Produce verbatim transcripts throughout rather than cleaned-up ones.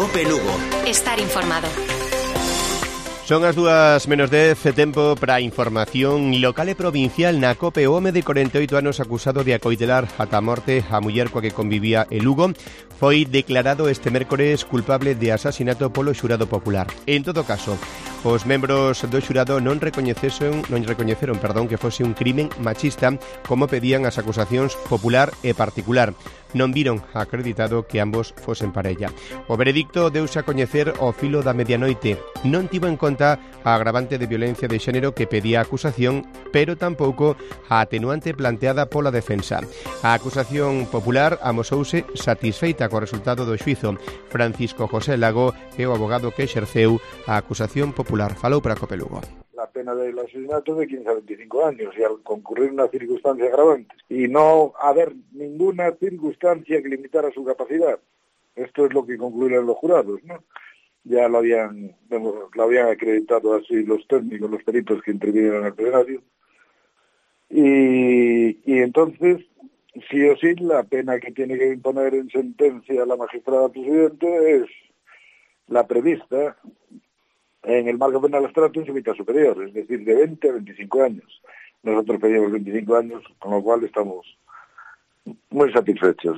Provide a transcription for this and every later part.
Cope Lugo. Estar informado. Son as dúas menos dez, tempo para a información local e provincial. Na Cope, o home de corenta e oito anos acusado de acoitelar ata a morte a muller coa que convivía en Lugo foi declarado este mércores culpable de asasinato polo xurado popular. En todo caso, os membros do xurado non recoñeceron, non recoñeceron, perdón, que fose un crimen machista como pedían as acusacións popular e particular. Non viron acreditado que ambos fosen parella. O veredicto deuse a coñecer ao filo da medianoite. Non tivo en conta a agravante de violencia de xénero que pedía a acusación, pero tampouco a atenuante planteada pola defensa. A acusación popular amosouse satisfeita co resultado do xuízo. Francisco José Lago é o abogado que exerceu a acusación popular. Falou para Cope Lugo. La pena del asesinato de quince a veinticinco años y al concurrir una circunstancia agravante y no haber ninguna circunstancia que limitara su capacidad. Esto es lo que concluyeron los jurados, ¿no? Ya lo habían, lo habían acreditado así los técnicos, los peritos que intervinieron en el plenario. Y, y entonces, sí o sí, la pena que tiene que imponer en sentencia la magistrada presidente es la prevista en el marco penal abstracto en su mitad superior, es decir, de veinte a veinticinco años. Nosotros pedimos veinticinco años, con lo cual estamos muy satisfechos.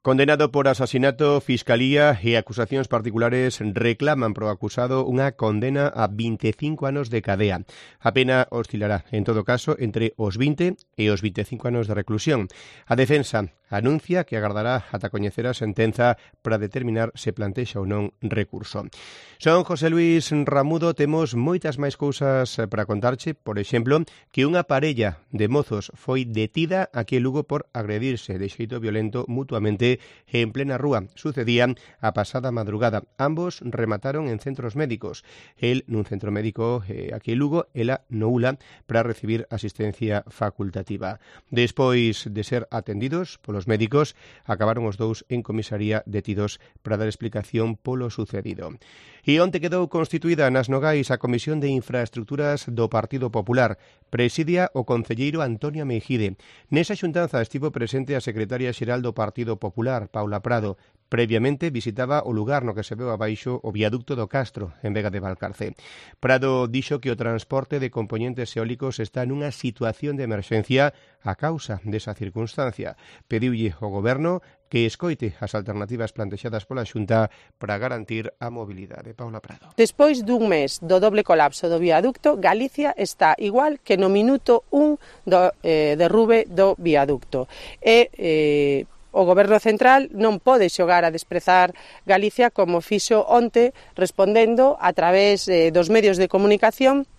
Condenado por asasinato, Fiscalía e acusacións particulares reclaman pro acusado unha condena a veinticinco anos de cadea. A pena oscilará, en todo caso, entre os vinte e os veinticinco anos de reclusión. A defensa anuncia que agardará ata coñecer a sentenza para determinar se plantexa ou non recurso. Son José Luis Ramudo, temos moitas máis cousas para contarche, por exemplo, que unha parella de mozos foi detida aquí en Lugo por agredirse de xeito violento mutuamente en plena rúa. Sucedían a pasada madrugada. Ambos remataron en centros médicos. El nun centro médico eh, aquí en Lugo, ela no U L A para recibir asistencia facultativa. Despois de ser atendidos polos médicos, acabaron os dous en comisaría detidos para dar explicación polo sucedido. E onte quedou constituída nas Nogais a Comisión de Infraestructuras do Partido Popular. Presidia o concelleiro Antonio Meijide. Nesa xuntanza estivo presente a secretaria xeral do Partido Popular, Paula Prado. Previamente visitaba o lugar no que se veu abaixo o viaducto do Castro, en Vega de Valcarce. Prado dixo que o transporte de componentes eólicos está nunha situación de emerxencia a causa desa circunstancia. Pediulle ao Goberno que escoite as alternativas plantexadas pola Xunta para garantir a mobilidade. Paula Prado. Despois dun mes do doble colapso do viaducto, Galicia está igual que no minuto un do eh, derrube do viaducto. E eh, o Goberno Central non pode xogar a desprezar Galicia como fixo onte, respondendo a través eh, dos medios de comunicación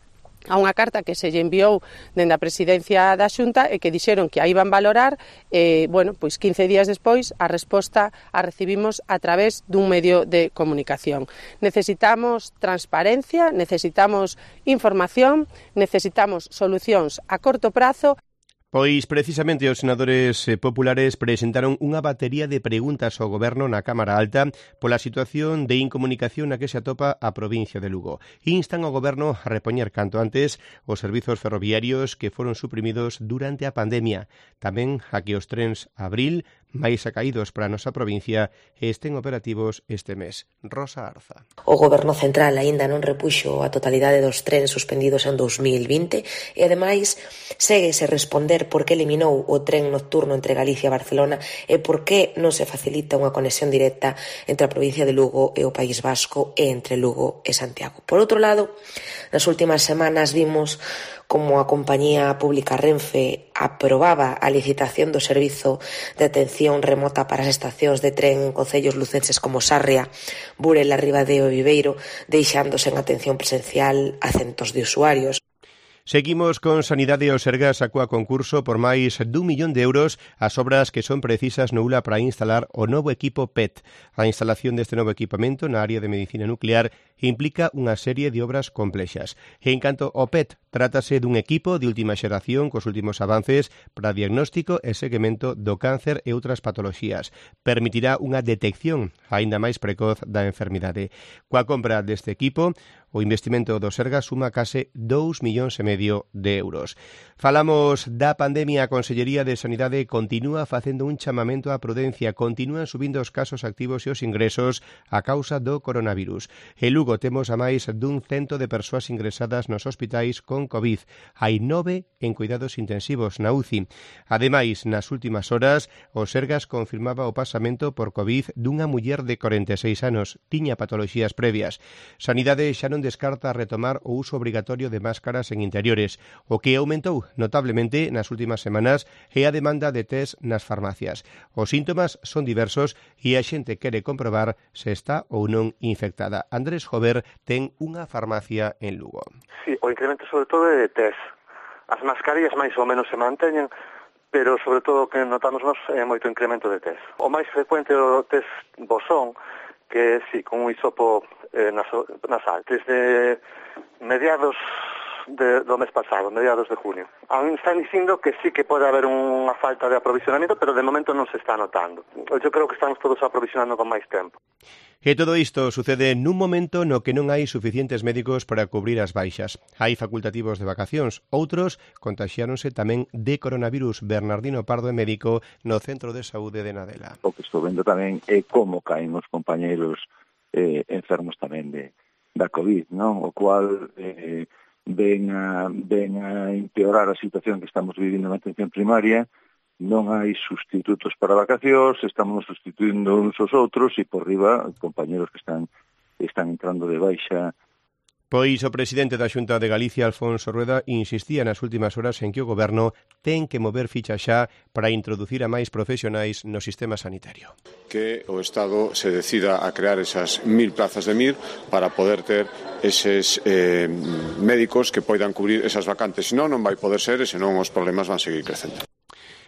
a unha carta que se lle enviou dende a presidencia da Xunta e que dixeron que a iban valorar. Eh, bueno, pois quince días despois a resposta a recibimos a través dun medio de comunicación. Necesitamos transparencia, necesitamos información, necesitamos solucións a corto prazo. Pois precisamente os senadores populares presentaron unha batería de preguntas ao Goberno na Cámara Alta pola situación de incomunicación na que se atopa a provincia de Lugo. Instan ao Goberno a repoñer canto antes os servizos ferroviarios que foron suprimidos durante a pandemia. Tamén a que os trens Abril, máis acaídos para a nosa provincia, estén operativos este mes. Rosa Arza. O Goberno Central aínda non repuxo a totalidade dos trens suspendidos en dous mil vinte e, ademais, séguese responder por que eliminou o tren nocturno entre Galicia e Barcelona e por que non se facilita unha conexión directa entre a provincia de Lugo e o País Vasco e entre Lugo e Santiago. Por outro lado, nas últimas semanas vimos como a compañía pública Renfe aprobaba a licitación do servizo de atención remota para as estacións de tren en concellos lucenses como Sarria, Burela, Ribadeo e Viveiro, deixándose en atención presencial a centos de usuarios. Seguimos con Sanidade e o Sergas sacou a concurso por máis dun millón de euros as obras que son precisas no U L A para instalar o novo equipo P E T. A instalación deste novo equipamento na área de medicina nuclear implica unha serie de obras complexas. En canto ao P E T, trátase dun equipo de última xeración cos últimos avances para diagnóstico e seguimento do cáncer e outras patoloxías. Permitirá unha detección aínda máis precoz da enfermidade. Coa compra deste equipo, o investimento do Sergas suma case dous millóns e medio de euros. Falamos da pandemia. A Consellería de Sanidade continúa facendo un chamamento á prudencia. Continúan subindo os casos activos e os ingresos a causa do coronavirus. En Lugo temos a máis dun cento de persoas ingresadas nos hospitais con COVID. Hai nove en cuidados intensivos na U C I. Ademais, nas últimas horas, o Sergas confirmaba o pasamento por COVID dunha muller de corenta e seis anos. Tiña patoloxías previas. Sanidade xa non descarta retomar o uso obrigatorio de máscaras en interiores. O que aumentou notablemente nas últimas semanas é a demanda de test nas farmacias. Os síntomas son diversos e a xente quere comprobar se está ou non infectada. Andrés Jover ten unha farmacia en Lugo. Sí, o incremento sobre todo é de test. As mascarillas máis ou menos se manteñen, pero sobre todo o que notamos nós é moito incremento de test. O máis frecuente é o test bosón, que sí, con un hisopo eh, nasal, desde mediados de, do mes pasado, mediados de junio. A mí me están dicindo que sí que pode haber unha falta de aprovisionamiento, pero de momento non se está notando. Eu creo que estamos todos aprovisionando con máis tempo. E todo isto sucede nun momento no que non hai suficientes médicos para cubrir as baixas. Hai facultativos de vacacións, outros contaxiáronse tamén de coronavirus. Bernardino Pardo é médico no Centro de Saúde de Nadela. O que estou vendo tamén é como caen os compañeiros eh, enfermos tamén de, da COVID, non? O cual eh, ven, a, ven a empeorar a situación que estamos vivindo na atención primaria. Non hai sustitutos para vacacións, estamos sustituindo uns aos outros e por riba compañeros que están están entrando de baixa. Pois o presidente da Xunta de Galicia, Alfonso Rueda, insistía nas últimas horas en que o Goberno ten que mover ficha xa para introducir a máis profesionais no sistema sanitario. Que o Estado se decida a crear esas mil plazas de M I R para poder ter eses eh, médicos que poidan cubrir esas vacantes. Senón non vai poder ser e senón os problemas van seguir crecendo.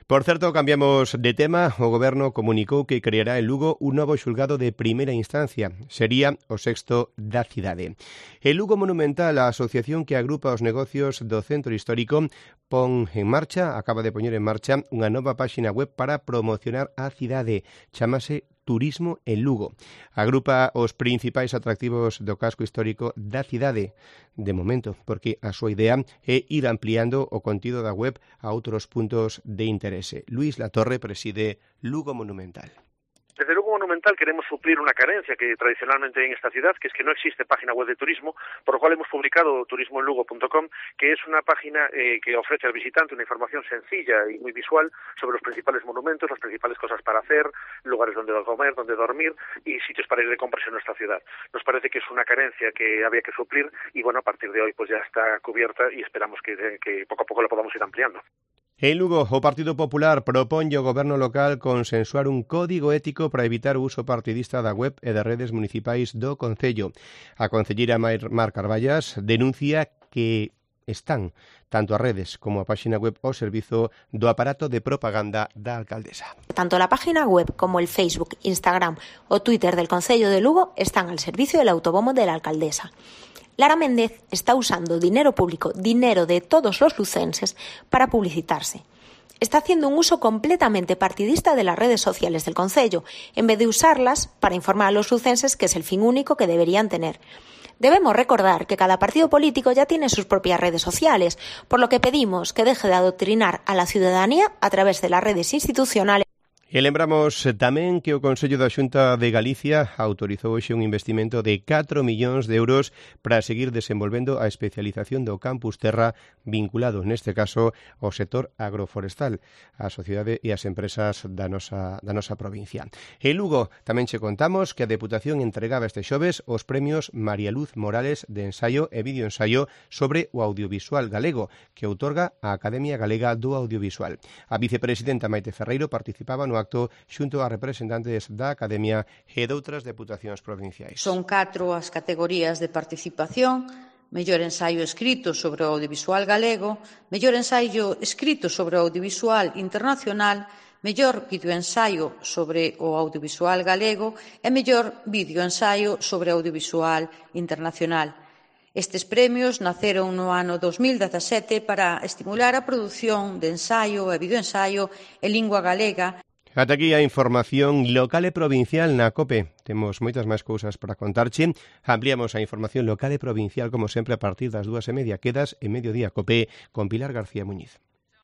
Por certo, cambiamos de tema. O Goberno comunicou que creará en Lugo un novo xulgado de primeira instancia. Sería o sexto da cidade. El Lugo Monumental, a asociación que agrupa os negocios do centro histórico, pon en marcha, acaba de poñer en marcha, unha nova páxina web para promocionar a cidade. Chámase Turismo en Lugo. Agrupa os principais atractivos do casco histórico da cidade, de momento, porque a súa idea é ir ampliando o contido da web a outros puntos de interese. Luís Latorre preside Lugo Monumental. Desde Lugo Monumental queremos suplir una carencia que tradicionalmente hay en esta ciudad, que es que no existe página web de turismo, por lo cual hemos publicado turismo en lugo punto com, que es una página eh, que ofrece al visitante una información sencilla y muy visual sobre los principales monumentos, las principales cosas para hacer, lugares donde comer, donde dormir y sitios para ir de compras en nuestra ciudad. Nos parece que es una carencia que había que suplir y bueno, a partir de hoy pues ya está cubierta y esperamos que, que poco a poco la podamos ir ampliando. En Lugo, o Partido Popular proponlle ao Goberno local consensuar un código ético para evitar o uso partidista da web e das redes municipais do Concello. A concelleira Mar Carballas denuncia que están tanto as redes como a páxina web ao servizo do aparato de propaganda da alcaldesa. Tanto la página web como el Facebook, Instagram o Twitter del Concello de Lugo están al servicio del autobombo de la alcaldesa. Lara Méndez está usando dinero público, dinero de todos los lucenses, para publicitarse. Está haciendo un uso completamente partidista de las redes sociales del concello, en vez de usarlas para informar a los lucenses, que es el fin único que deberían tener. Debemos recordar que cada partido político ya tiene sus propias redes sociales, por lo que pedimos que deje de adoctrinar a la ciudadanía a través de las redes institucionales. E lembramos tamén que o Consello da Xunta de Galicia autorizou hoxe un investimento de catro millóns de euros para seguir desenvolvendo a especialización do Campus Terra vinculado, neste caso, ao sector agroforestal, a sociedade e as empresas da nosa, da nosa provincia. En Lugo tamén che contamos que a Deputación entregaba este xoves os premios María Luz Morales de ensaio e videoensaio sobre o audiovisual galego, que outorga a Academia Galega do Audiovisual. A vicepresidenta Maite Ferreiro participaba no acto xunto a representantes da Academia e doutras deputacións provinciais. Son catro as categorías de participación: mellor ensaio escrito sobre o audiovisual galego, mellor ensaio escrito sobre o audiovisual internacional, mellor videoensaio sobre o audiovisual galego e mellor videoensaio sobre audiovisual internacional. Estes premios naceron no ano dos mil dezasete para estimular a produción de ensaio e videoensaio en lingua galega. Ata aquí a información local e provincial na COPE. Temos moitas máis cousas para contarche. Ampliamos a información local e provincial, como sempre, a partir das dúas e media. Quedas en Mediodía COPE con Pilar García Muñiz.